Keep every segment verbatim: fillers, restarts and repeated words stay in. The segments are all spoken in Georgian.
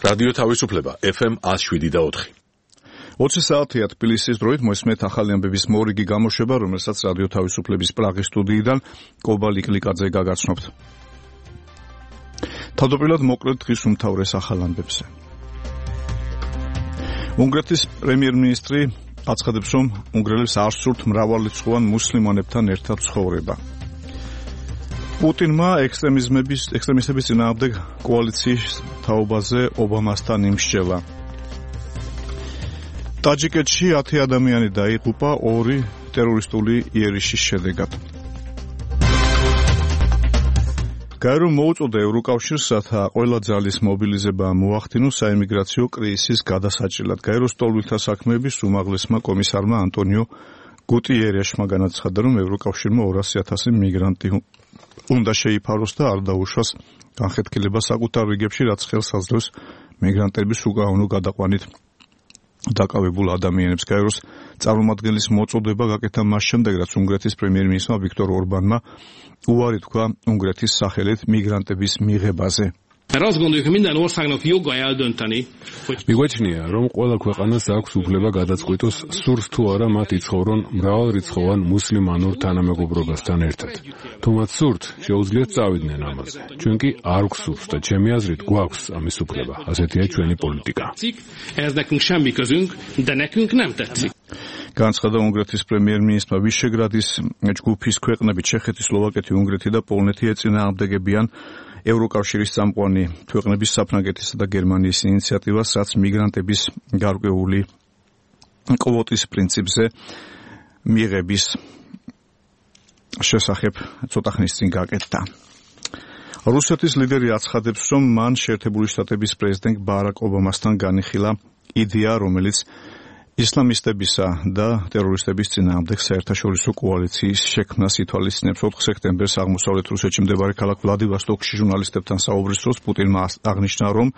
რადიო თავისუფლება ეფ ემ one oh seven point four. ოცი საათია თბილისის დროით მოისმენთ ახალი ამბების მორიგი გამოშვება, რომელსაც რადიო თავისუფლების პრაღის სტუდიიდან კობალ იკლიკაძე გაგაცნობთ. თავდაპირველად მოკლედ დღის უმთავრეს ახალ ამბებზე. უნგრეთის პრემიერ-მინისტრი აცხადებს, რომ უნგრელებს არ სურთ მრავალრიცხოვან მუსლიმანებთან ერთად ცხოვრება. პუტინმა ექსტრემიზმების ექსტრემისტების წინააღმდეგ კოალიციის თაობაზე ობამასთან იმსჯელა. ტაჯიკეთში ათი ადამიანი დაიღუპა ორი ტერორისტული იერიშის შედეგად. გაერომ მოუწოდა ევროკავშირს, რათა ყველა ძალის მობილიზება მოახდინოს საიმიგრაციო კრიზისის გადასაჭრელად. გაეროს ტოლვილთა საქმეების უმაღლესმა კომისარმა ანტონიო გუტიერეშმა განაცხადა, რომ ევროკავშირმა ორასი ათასი მიგრანტი უნდა შეიფაროს და არ დაუშვას განხეთქილება საკუთარ რიგებში, რაც ხელს აძლევს მიგრანტების უკანონო გადაყვანით დაკავებულ ადამიანებს. გაეროს წარმომადგენლის მოწოდება გაკეთა მას შემდეგ, რაც უნგრეთის პრემიერ-მინისტრმა ვიქტორ ორბანმა უარი თქვა უნგრეთის სახელით მიგრანტების მიღებაზე. მიგვაჩნია, რომ ყველა ქვეყანას აქვს უფლება გადაწყვიტოს, სურს თუ არა მათ იცხოვრონ მრავალრიცხოვან მუსლიმანურ თანამეგობრობასთან ერთად. თუ მათ სურთ, შეუძლიათ წავიდნენ ამაზე. ჩვენ კი არ გვსურს და ჩემი აზრით გვაქვს ამის უფლება. ასეთია ჩვენი პოლიტიკა. განაცხადა უნგრეთის პრემიერ-მინისტრმა. ვიშეგრადის ჯგუფის ქვეყნები ჩეხეთი, სლოვაკეთი, უნგრეთი და პოლონეთი ეწინააღმდეგებიან ევროკავშირის წამყვანი ქვეყნების საფრანგეთისა და გერმანიის ინიციატივას, რაც მიგრანტების გარკვეული კვოტის პრინციპზე მიღების შესახებ ცოტა ხნის წინ გაკეთდა. რუსეთის ლიდერი აცხადებს, რომ მან შეერთებული შტატების პრეზიდენტ ბარაკ ობამასთან განიხილა იდეა, რომელიც ისლამისტებისა და ტერორისტების წინააღმდეგ საერთაშორისო კოალიციის შექმნას ითვალისწინებს. ოთხ სექტემბერს აღმოსავლეთ რუსეთში მდებარე ქალაქ ვლადივოსტოკში ჟურნალისტებთან საუბრის დროს პუტინმა აღნიშნა, რომ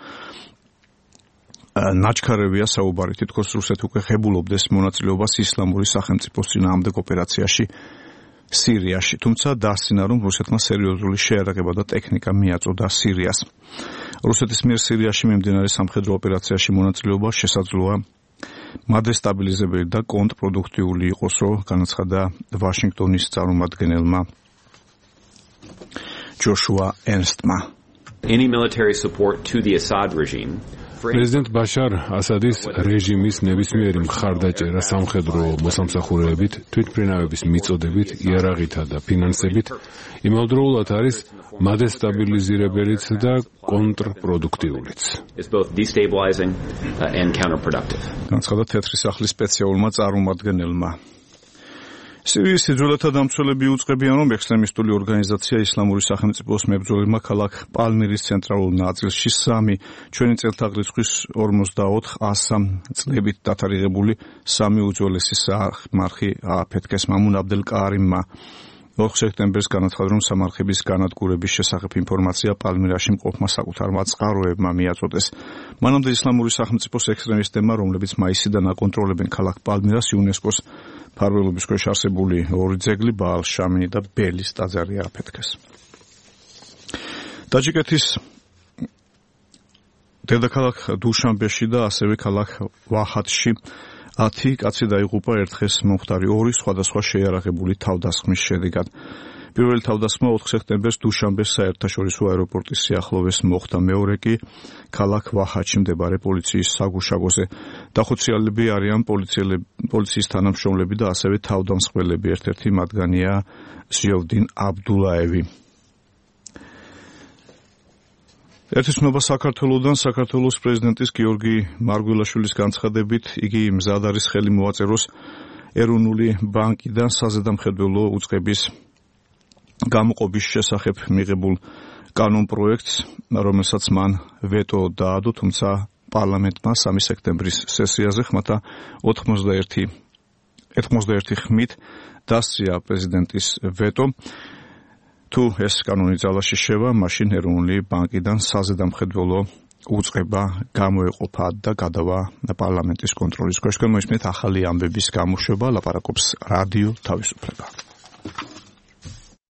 ნაჩქარევია საუბარი, თითქოს რუსეთი უკვე ღებულობდეს მონაწილეობას ისლამური სახელმწიფოს წინააღმდეგ ოპერაციაში სირიაში. თუმცა დასცინა, რომ რუსეთმა სერიოზული შეარაღება და ტექნიკა მიაწოდა სირიას. რუსეთის მიერ სირიაში მიმდინარე სამხედრო ოპერაციაში მონაწილეობა შესაძლოა მადესტაბილიზებელი და კონტრპროდუქტიული იყოს, რომ განაცხადა ვაშინგტონის წარმომადგენელმა ჯოშუა ერნსტმა. Any military support to the Assad regime პრეზიდენტ ბაშარ ასადის რეჟიმის ნებისმიერი მხარდაჭერა სამხედრო მოსამსახურეებით, თვითმფრინავების მიწოდებით, იარაღითა და ფინანსებით იმავდროულად არის მადესტაბილიზირებელიც და კონტრპროდუქტიულიც. განაცხადა თეთრი სახლის სპეციალურმა წარმომადგენელმა. სირიის სიძველეთა დამცველები უწყებიან, რომ ექსტრემისტული ორგანიზაცია ისლამური სახელმწიფოს მებრძოლებმა ქალაქ პალმირის ცენტრალურ ნაწილში სამი ჩვენი წელთაღრიცხვის ორმოცდაოთხ ასამ წლებით დათარიღებული სამი უძველესი სამარხი ააფეთქეს. მამუნ აბდელ კარიმმა ოთხ სექტემბერს განაცხადა, რომ სამარხების განადგურების შესახებ ინფორმაცია პალმირაში მყოფმა საკუთარმა წყაროებმა მიაწოდეს. მანამდე ისლამური სახელმწიფოს ექსტრემისტებმა, რომლებიც მაისიდან აკონტროლებენ ქალაქ პალმირას, იუნესკოს ფარველობის ქვეშ არსებული ორი ძეგლი, ბაალ-შამინი და ბელის ტაძარი ააფეთქეს. ტაჯიკეთის დედაქალაქ დუშანბეში და ასევე ქალაქ ვაჰატში ათი კაცი დაიღუპა ერთ დღეს მომხდარი ორი სხვადასხვა შეიარაღებული თავდასხმის შედეგად. პირველი თავდასხმა ოთხ სექტემბერს დუშანბეს საერთაშორისო აეროპორტის სიახლოვეს მოხდა, მეორე კი ქალაქ ვაჰატში მდებარე პოლიციის საგუშაგოზე. დახოციალები არიან პოლიციის თანამშრომლები და ასევე თავდამსხმელები. ერთ-ერთი მათგანია ზიოვდინ აბდულაევი. ერთისმობა საქართველოდან საქართველოს პრეზიდენტის გიორგი მარგველაშვილის განცხადებით, იგი მზად არის ხელი მოაწეროს ეროვნული ბანკიდან საზედამხედველო უწყების გამოყობის შესახებ მიღებულ კანონპროექტს, რომელსაც მან ვეტო დაადო, თუმცა პარლამენტმა სამი სექტემბრის სესიაზე ხმათა ოთხმოცდაერთი ხმით დასწია პრეზიდენტის ვეტო. თუ ეს კანონი ძალაში შევა, მაშინ ეროვნული ბანკიდან საზედამხედველო უწყება გამოეყოფა და გადავა პარლამენტის კონტროლის ქვეშ. მოისმენთ ახალი ამბების გამოშვება, ლაპარაკობს რადიო თავისუფლება.